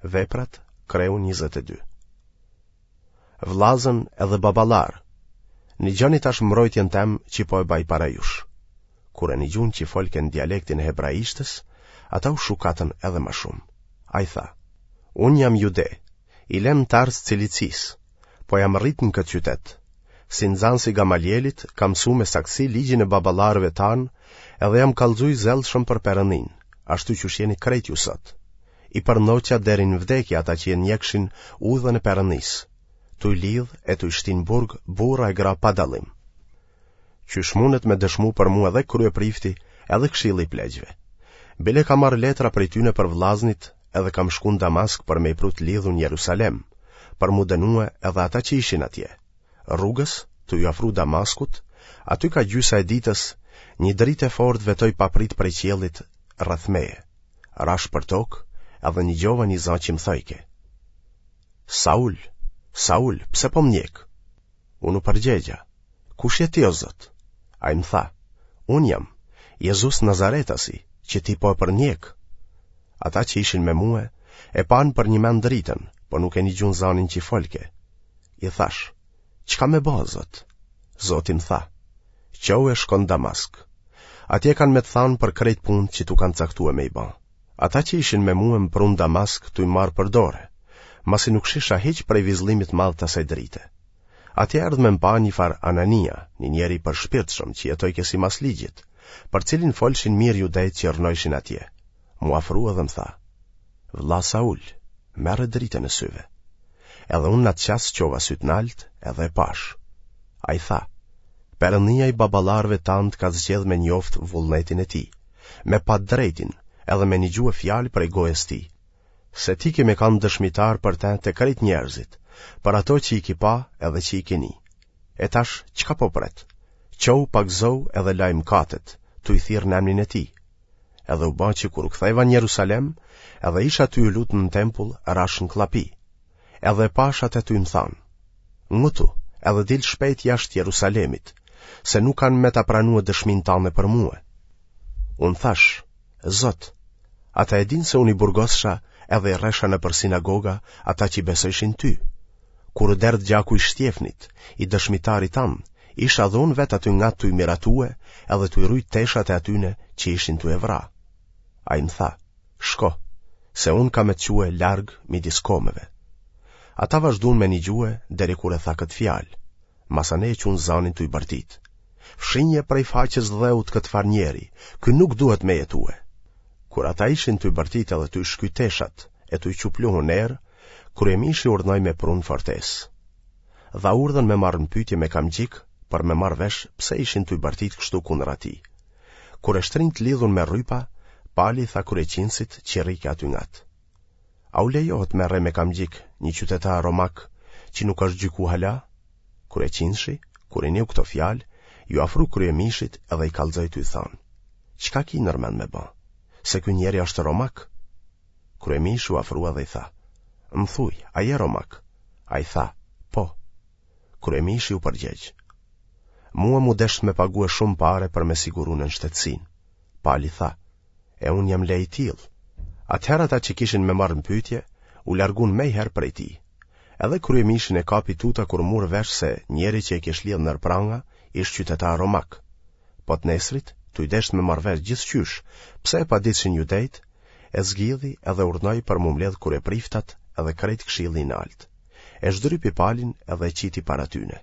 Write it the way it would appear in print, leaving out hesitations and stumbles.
Veprat, kreu 22. Vllazën edhe baballarë, nigjoni tash mbrojtjen tem që po e baj para jush. Kur e nigjun që folke në dialektin e hebraishtes, ata u shukatën edhe ma shumë. Ai tha, unë jam jude, i lem n'Tars Cilicisë, po jam rritë në këtë qytet. Si nxanës i Gamalielit, kam mësu me saktësi ligjin e baballarëve tanë edhe jam kallxu i zellshëm për Perëndinë, ashtu qysh jeni krejt ju sot. I përndoqa deri në vdekje ata që e ndjekshin udhën e Perëndisë, tuj lidhë e tuj shti në burg burra e gra pa dallim. Qysh mundet me dëshmu për mua edhe kryeprifti, edhe këshilli i pleqve. Bile kam marrë letra prej tyne për vllaznit edhe kam shku në Damask për me i pru të lidhun në Jerusalem, për m'u dënue edhe ata që ishin atje. Rrugës, tu iu afru Damaskut, aty ka gjysa e ditës, një dritë e fortë vetoi papritë prej qiellit rreth meje. Rashë për tokë, edhe nigjova një za që më thojke. Saul, Saul, pse po më ndjek? Unë u përgjegja, kush je ti o Zot? Ai më tha, unë jam, Jezus Nazaretasi, që ti po e përndjek. Ata që ishin me mue, e panë përnjëmend dritën, po nuk e nigjun zanin që folke. I thashë, çka me ba, Zot? Zoti më tha, çohu e shko në Damask. Atje kanë me të thanë për krejt punët që t'u kanë caktue me i ba. Ata që ishin me mue më prunë Damask tuj marrë për dore, masi nuk shisha hiç prej vizllimit madh të asaj drite. Atje erdh me më pa një farë Anania, një njeri i përshpirtshëm që jetojke simas ligjit, për cilin folshin mirë judejtë që rrnojshin atje. M'u afru edhe më tha, Vlla Saul, merre dritën e syve. Edhe unë në atë çast çova sytë nalt edhe e pashë. Ai tha, Perëndia i baballarëve tanë të ka zgjedhë me njoftë vullnetin e tij, me pa të drejtin edhe me nigjue fjalë prej gojës tij, se ti ke me kanë dëshmitar për te te krejt njerëzit, për ato që i ki pa edhe që i ki ni. E tash, çka po pret? Çohu pagëzohu edhe laj mëkatet, tuj thirrë në emnin e tij. Edhe u ba që kur u ktheva në Jerusalem, edhe isha tuj u lutë në tempull, rashë në kllapi. Edhe e pashë atë tuj më thanë, ngutu, edhe dil shpejt jashtë Jerusalemit, se nuk kanë me ta pranue dëshminë tande për mue. Unë thashë, Zot, ata e dinë se unë i burgossha edhe i rresha nëpër sinagoga ata që i besojshin ty. Kur u derdh gjaku i Shtjefnit, i dëshmitarit tand, isha dhe unë vetë aty ngat tuj miratue edhe tuj rujt teshat e atyne që ishin tuj e vra. Ai më tha, shko, se unë kam me të çue larg midis komeve. Ata vazhdun me nigjue deri kur e tha këtë fjalë, masanej e çunë zanin tuj bërtit. Fshinje prej faqes dheut këtë farë njeri, ky nuk duhet me jetue. Kur ata ishin tuj bërtit edhe tuj shky teshat e tuj çu pluhun n'erë, kryemishi urdhnoi me pru në fortesë. Dha urdhën me marrë në pyetje me kamxhik për me marrë vesh pse ishin tuj bërtit kështu kundër atij. Kur e shtrinë të lidhun me rrypa, Pali i tha kryeqindësit që rrike aty ngat. A u lejohet me rreh me kamxhik një qytetar romak që nuk është gjyku hala? Kryeqindëshi, kur i niu këto fjalë, iu afru kryemishit edhe i kallxoi tuj thanë. Çka ki nërmend me ba? Se ky njeri është romak? Kryemishi u afrua dhe i tha, Më thuj, a je romak? Ai tha, Po. Kryemishi u përgjegj, Mua m'u desht me pague shumë pare për me siguru nënshtetësinë. Pali tha, E unë jam le i tillë. Atëherë ata që kishin me marrë në pyetje, u largun mejherë prej tij. Edhe kryemishin e kapi tuta kur mur vesh se njeri që e kish lidhë nër pranga, ish qytetar romak. Po të nesrit, tuj desht me marrë vesh gjithqysh, pse e paditshin judejtë, e zgjidhi edhe urdhnoi për m'u mbledh kryepriftat edhe krejt këshilli i naltë. E zhdrypi Palin edhe e qiti para tyne.